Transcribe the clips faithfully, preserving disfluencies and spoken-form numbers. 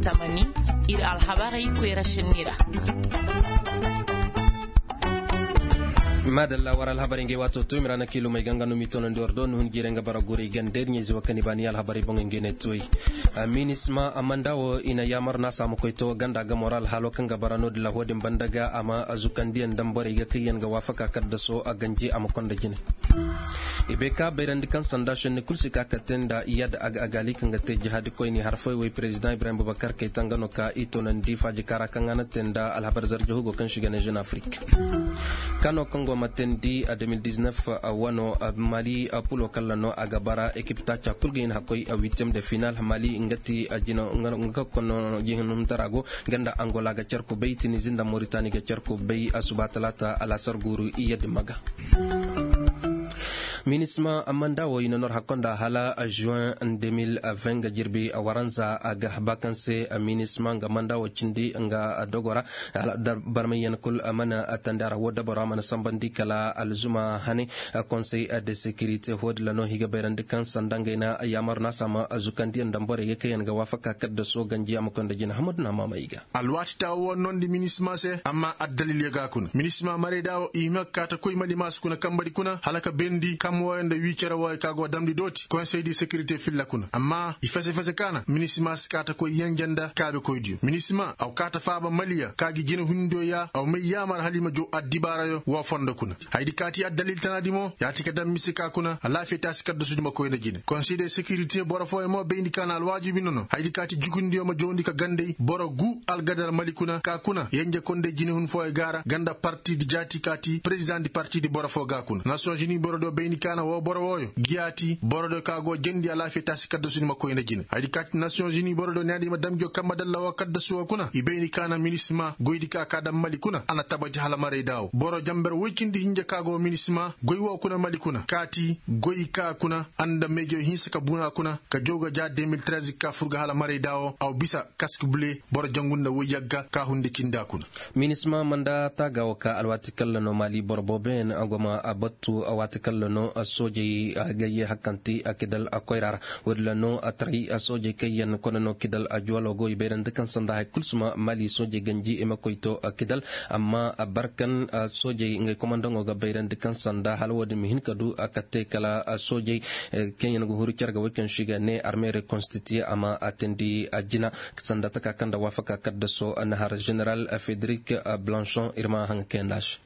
Tamani, ir alhabarey koyra senni ra. Maadalla war alhabarey ngey waato to mira na kiilumey ga nga no m'i tonandi war do ni hun jiirey nga bara guray ganda ir ɲayze wo kaŋ i baani alhabarey boŋey ngey ne tuwey. Minisma amanda wo i na yaamar no a se a ma koy to ganda ga moral halo kaŋ ga bara no-din ra wo-din banda ga a ma zukandiyaŋ daŋ borey ga kaŋ yaŋ ga waafaka kaddaso a ganji a ma konda jine. I bay ka bayrandi kaŋ sanda šenni kul si ka ka te nda iyad aga agaali kaŋ ga te jihaadi koyni harfay way perezidaŋ ibrahim bubakar kayta nga no ka i toonandi faaji kaara kaŋ a na te nda alhabar zarja hugo kaŋ si ga ne jeune afrique. Kano kaŋ go ma teendi a deux mille dix-neuf wano mali pulo kalla no a ga bara ekip taaca kul ga hin hakkoy a huitième de final mali nga ti jina nga kono jihin humtara go ganda angola ga car kubay tinizi nda moritani ga car kubay a suba talaata alasar guuru iyadi maga. Minisma manda wo i na nor hakkonda hala juin deux mille vingt ga jirbi waranza a ga bakanse. Minisma nga manda wo cindi nga dogora barmayyan kul mana tandi a ra wo dabaro a mana sambandi kala alzuma hane. Conseil de sécurité hodila no higa bayrandi kan sanda ngay na yamar na sama zukandiyan dambore ga kayan ga wafaka kadda so ganji a makonda jina hamadu na mama iga. Alwaati taawo wo nondi minisma se amma addalil yaga kuna minisma marayda wo i hima ka kaata koy mali maasu kuna kambari kuna hala ka bendi kam woyo nda wii cere woyo ka go damndi dooti konsey di sekirite filla kuna amma i fese fese kaana minisma si kaata koy yenje nda kaabekoydiyo minisma aw kaata faaba maliya ka gi jina hundiyo ya aw may yaamar hala i ma jow addibaarayo wo fondo kuna. Haydi kaati addalil tanaadi mo yaati ka dam mise ka kuna alaafiya taasi kaddasudi ma koy nda jine konsey de sekirite boro fooyo mo bayndi kaana alwaajibi nono haydi kaati jukundiyo ma jowndi ka gandey boro gu algadar mali kuna ka kuna yenje konday jinehun fooyo gaara ganda partidi jaati kaati perezidaŋ di partidi boro foo ga kuna nasiyoŋ zini borodiyo bayndi kaana woo boro wooyo giyaati borodiyo ka go jendi alaafiya taasi kaddasudi ma koy nda jine haydi kaati nasiyoŋ zini borodiyo ne a di ma damjo kamma dalla woo kaddasu woo kuna i bayndi kaana minisima goydi ka ka dam mali kuna a na tabati hala marayda woo boro jamber woy cindi hinja ka go minisima goy woo kuna mali kuna kaati goy ka kuna a nda meejo hinsa ka buna kuna ka jow ga ja deux mille treize ka fur ga hala marayda woo aw bisa kaski bule boro jangu nda woy yagga ka hunde cinda kuna. Minisma manda taaga wo ka alwaati kalla no maali boro booboyaŋ a go ma a battu a waati kalla no soojey gayye hakkanti a kidal a koyra ra woodin ra no a taray soojey kaŋ yaŋ kone no kidal a juwalo go i bayrandi kaŋ sanda hari kulu si ma maali soojey ganji i ma koy to kidal amma barkan soojey ngey komandaŋo ga bayrandi kaŋ sanda hala woodin ma hin ka du a ka te kala soojey kaŋ yaŋ ga huru care ga woy kaŋ se i ga ne arme rekonstitiye a ma a teendi a jina sanda taka kaŋ nda waafaka kaddaso nahar general federik blanchon ir ma haŋa kayanda se.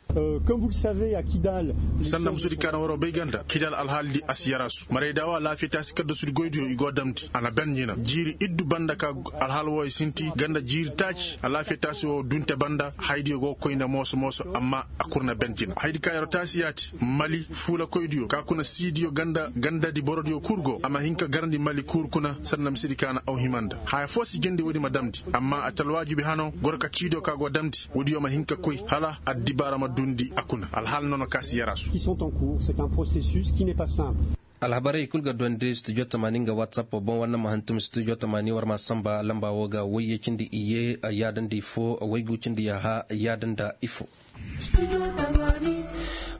Sanda musudi kaana waroo bay ganda kidal alhaali di a si yaraasu marayda wo alaafiya taasi kaddasudi goydiyo i go damndi a na ben jina jiiri iddu banda ka alhaal wooyo sinti ganda jiiri taaci alaafiya taasi woo dunte banda haydiyo go koy nda mooso mooso amma a kul na ben jina haydi ka yeroo taasi yaati mali fuulakoydiyo ka kuna siidiyo ganda gandadi borodiyo kul go a ma hin ka garandi mali kul kuna sanda misidi kaana aw hima nda haya foo si jindi woodi ma damndi amma a ti alwaajibi hano goro ka ciidiyo ka go damndi woodiyo ma hin ka koy hala addibaara ma dundi a kuna alhaal nono ka si yaraasu. Alhabarey kul ga duwandi studio tamaani nga whatsapp boŋ war na ma hantum studio tamaani war ma samba lamba wo ga wayye cindi iyye yaadandi fo waygu cindi yaaha yaadanda ifo.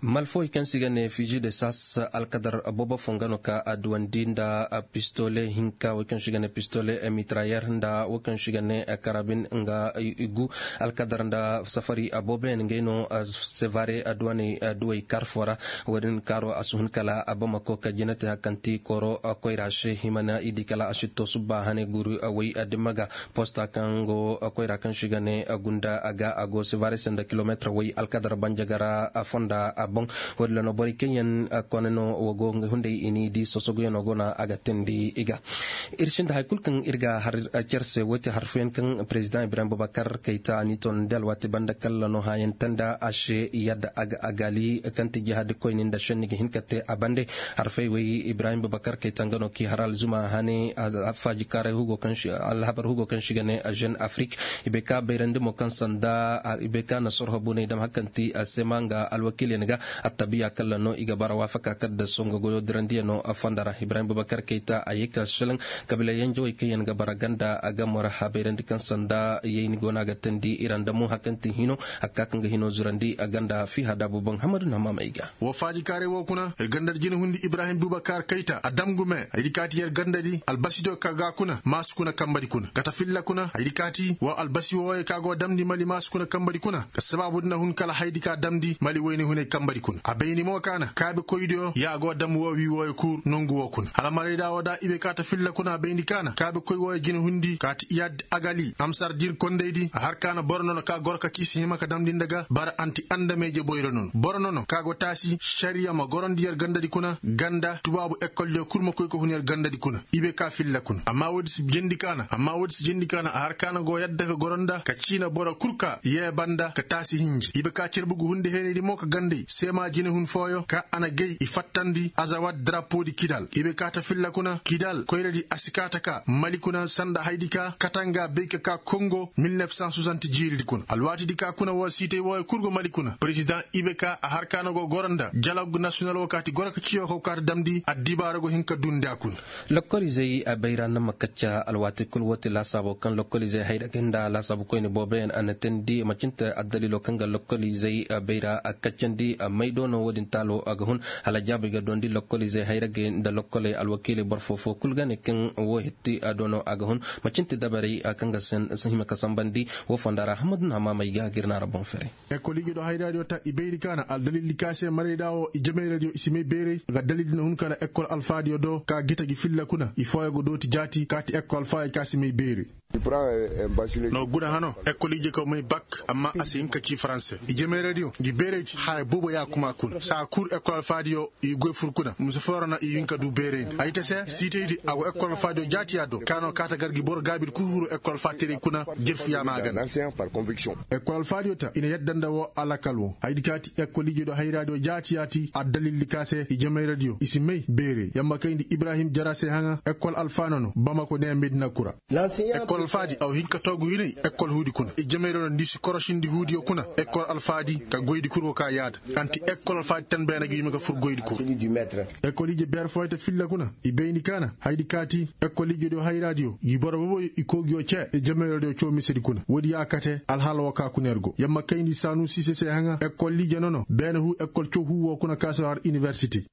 Malfooy kaŋ se i ga ne fiji de sas alkadar boobo fo nga no ka a duwandi nda pistole hinka wo kaŋ se i ga ne pistole mitrayer nda wo kaŋ se i ga ne karabin nga igu alkadar nda safari boobo yaŋ ngey no sevare duwaney duwey kar fo ra. Wo-din kaaro a si hun kala a bamako ka jina te hakanti kooro koyra se hima na i di kala a si to subba hane guru way dimma ga posta kaŋ go koyra kaŋ se i ga ne gunda a ga a go sevare se nda kilometre way alkadar banjagara fonda a boŋ. Wo-din ra no borey kaŋ yaŋ kone no wo go hunday i n'i di sosoguyaŋo go no a ga teendi i ga. Ir sinda hari kulu kaŋ ir ga har cer se wo ti hari fooyaŋ kaŋ perezidaŋ ibrahim bubakar kayta a n'i toonandi alwaati banda kalla no hãayaŋ tanda a se yadda a ga a gaali kaŋ ti jihaadi koyni nda šenni ga hin ka te a bande. Hari fooyaŋ way ibrahim bubakar kayta nga no k'i har alzuma hane alhabar hugo kaŋ se i ga ne jeune afrique. I bay ka bayrandi mo kaŋ sanda i bay ka na sorho buney dam hari kaŋ ti sema nga alwakiilyaŋ ga. Attabiya kalla no i ga bara waafaka kala da songo goyo dirandiya no a fonda ra ibrahim bubakar kayta a ye ka selaŋ. Kabila yanjawey kaŋ yaŋ ga bara ganda a ga mora habayrandi kaŋ sanda yayni go no a ga teendi i ra nda mo hakanti hino. Hakka kaŋ ga hino zurandi a ganda fiha daabu boŋ hamadu na maamey ga. Wo faajikaaray wo kuna ir ganda da jinahundi ibrahim bubakar kayta a dam gume haydi kaati yer ganda di albasi do ka ga kuna maasu kuna kamba di kuna kata filla kuna haydi kaati wo albasi wooyey ka go damndi mali maasu kuna kamba di kuna. Ka sabaabu di na hun kala haydi ka damndi mali woyne huney kamba di kuna a bayni mo kaana kaabe koydiyo ya go dam woo wii wooyo kuur nongu woo kuna hala marayda woo da ibe kaata filla kuna a bayndi kaana kaabe koy wooyo jinahundi kaati iyad agali amsar dir kondey di a har kaana boro nono ka goro ka ci si hima ka damndi nda ga bara anti andameeje boyro nono boro nono ka go taasi šariya ma gorondi yer ganda di kuna ganda tubaabu ekkoldiyo kul ma koy ka hun yer ganda di kuna. Ibe ka filla kuna amma woodi si jendi kaana amma woodi si jendi kaana a har kaana go yadda ka goro nda ka ciina boro kul ka yee banda ka taasi hinji ibe ka cerbugu hunde heeney di mo ka gandey seema jinehun fooyo ka a na gay i fattandi azawat darapo di kidal ibe kaata filla kuna kidal koyra di a si kaata ka mali kuna sanda haydi ka katanga bay ka ka kongo mil nef san soixante jiiri di kuna alwaati di ka kuna woo siitey wooyo kul go mali kuna perezidaŋ ibe ka a har kaana go goro nda jalog nasiyonal woo kaati goro ka ciyo ka go kaata damndi addibaara go hin ka dundi a kuna. Lokkolizey a bayra na ma kacca alwaati kul woo ti laasaabo kaŋ lokkolizey hayra ga hin nda laasaabu koyne booboyaŋ a na teendi macinte addaliilo kaŋ ga lokkolizey a bayra a kaccandi a may do no woo din taalo a ga hun hala jaabey ga doondi lokkolizey hayra ga nda lokkoley alwakiiley boro foo foo kul ga ne kaŋ woo hitti a do no a ga hun macinte dabarey kaŋ ga hima ka sanbandi woo fonda ra hammadu na hamaamey ga ga ir na ra boŋ fere. Ekol ije do hayraadiyo ta i bayri kaana aldalildi ka se marayda woo i jemayradiyo i si may beeray ga dalildi na hun kala ekol alfaadiyo do ka gita gi filla kuna i fooyo ga dooti jaati kaati ekol alfaadiyo ka si may beeray. No guna hano ekol ije ka may bak amma a si hin ka ci faranse i jemayradiyo ngi beeraydi haya boobo ya kuma kuna saa kul ekol alfaadiyo i goy fur kuna mise foo ra no i hin ka du beeraydi ay ta se siitaydi a go ekol alfaadiyo jaatiya do ka no kaata gar gi boro gaabidi kul huru ekol alfaateray kuna. Jerfu ya maagana. Ekol alfaadiyo ta i na yadda nda woo alakal woo haydi kaati ekol ije do hayraadiyo jaatiya ti addalildi ka se i jemayradiyo i si may beeray yamma kayndi ibrahim jara se haŋa ekol alfaano no bamako ne medina kura. Ekol alfaadi aw hin ka toogu hinay ekol huudi kuna i jemayradiyo nda i si korosindi huudiyo kuna ekol alfaadi ka goydi kul go ka yaada anti ekol alfaadi tan beene ga yuma ga fur goydi kul. Ekol ije beer fooyo ta filla kuna i bayndi kaana haydi kaati ekol ije do hayraadiyo i boro boboyo i koogiyo cee i jemayradiyo coomisedi kuna woodi ya kate alhaala woo ka kuna yer go yamma kayndi saanu siise se haŋa ekol ije nono beene huu ekol cow huu woo kuna ka si har inibersite.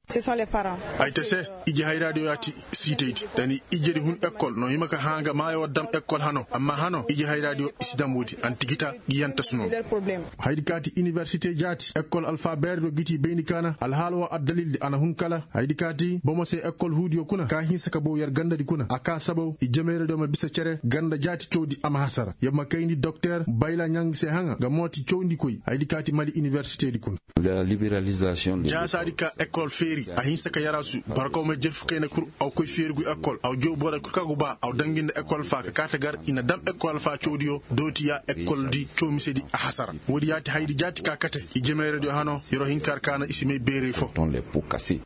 Ay ta se ije hayraadiyo ya ti siitaydi da ni ijedi hun ekol no hima ka hã nga maayo woo dam ekol hano amma hano ije hayraadiyo i si dam woodi anti gita gi yanta suno. Haydi kaati inibersite jaati ekol alfa beerediyo giti bayndi kaana alhaala woo addalildi a na hun kala haydi kaati bomo se ekol huudiyo kuna ka hinsa ka bow yer gandadi kuna a kaa sabow i jemayradiyo ma bisa cere ganda jaati cawdi a ma hasara yer ma kayndi dokter bayla ɲang se haŋa nga mooti cawndikoy haydi kaati mali inibersitedi kuna. Jaasaadi ka ekol feeri a hinsa ka yaraasu barkaw may jerfu kayna kur aw koy feeri gu ekol aw jow boro kur ka gu ba aw dangi nda ekol alfa ka kaata gar i na dam ekol alfa cawdiyo dooti ya ekoldi cawmisedi a hasara. Woodi yaati haydi jaati ka kate i jemayradiyo hano yeroo hinka har kaana i si may beeray fo.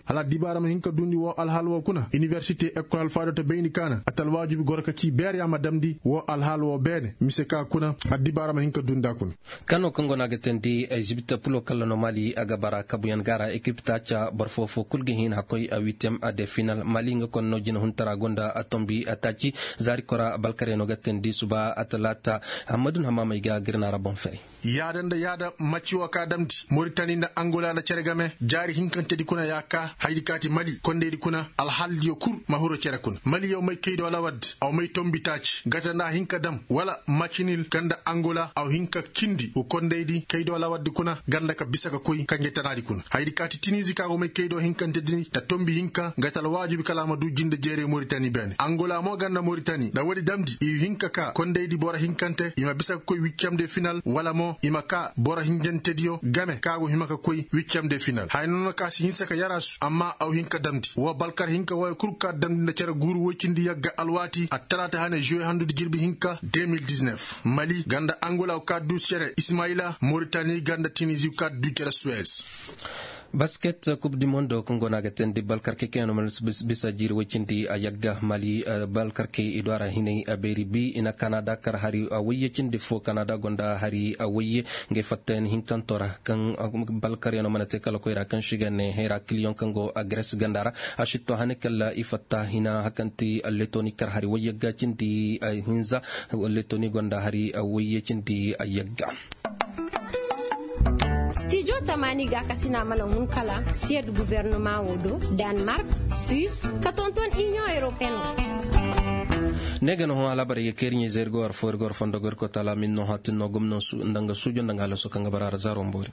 Hala addibaara ma hin ka duundi woo alhaala woo kuna inibersite ekol alfaadiyo ta bayndi kaana ata alwaajibi goro ka cii beer ya ma damndi woo alhaala woo beene mise ka kuna addibaara ma hin ka duundi a kuna. Kano kaŋ go no a ga teendi ay zibita pulo kalla no mali a ga bara kabuyaŋ gaara ekip taaca boro foo foo kul ga hin hakkoy a witiyem a de final mali nga konno jinahuntara gonda a tombi a taaci zaari kora balkarey no ga teendi suba a talaata. Hammadu na hamaamey ga gir na ra boŋ fere. Yaada nda yaada macci woo ka damndi moritani nda angola nda cere game jaari hinkantedi kuna ya ka haydi kaati mali kondeydi kuna alhaaldiyo kul ma huru cere kuna mali yaw may kaydo lawaddi aw may tombi taaci gata nda a hin ka dam wala macci nil ganda angola aw hin ka kindi wo kondaydi kaydo lawardi kuna ganda ka bisa ka koy kanje tanaadi kuna haydi kaati tinizi ka go may kaydo hinkantedi ni ta tombi hinka nga ta alwaajibi kala a ma du jinde jeeray moritani beene angola mo ganda moritani nda woodi damndi i hinka ka kondaydi boro hinkante i ma bisa ka koy wiccamde final wala mo i ma ka boro hinjantediyo game ka go hima ka koy wiccamde final haya noona ka si hinsa ka yaraasu amma aw hinka damndi woo balkar hinka wooyo kul ka damndi nda cere guuru woy cindi yagga alwaati attalaata hane juwe handudi jirbi hinka deux mille dix-neuf mali ganda angola ka du cere ismayila moritani ganda tinizi ka du cere suwes. Basket kub di mondo kaŋ go no a ga teendi balkarkey kaŋ yaŋ no mana bisa jiiri woy cindi a yagga mali. Balkarkey i do a ra hinay a beeri bi i na kanada kar hari woy ya cindi fo kanada gonda hari woy ye. Ngey fattayaŋ hinkanto ra kaŋ balkaryaŋo mana te kala koyra kaŋ si ga ne hayra kiliyoŋ kaŋ go a gres ganda ra. A sitto hane kala i fatta hina hakanti letoni kar hari woy yagga cindi hinza. Letoni gonda hari woy ya cindi a yagga. Stijo tamani ga kasina mana hun kala siyed guvernoma wo do, danmark, suisse, ka tonton union européenne. Ne ga no ho alabara ye keri ɲe zergo ar fo ergo ar fondo gorko tala min no hatin no gomno su ndanga sujo ndanga laso kanga bara ar zaro mbori.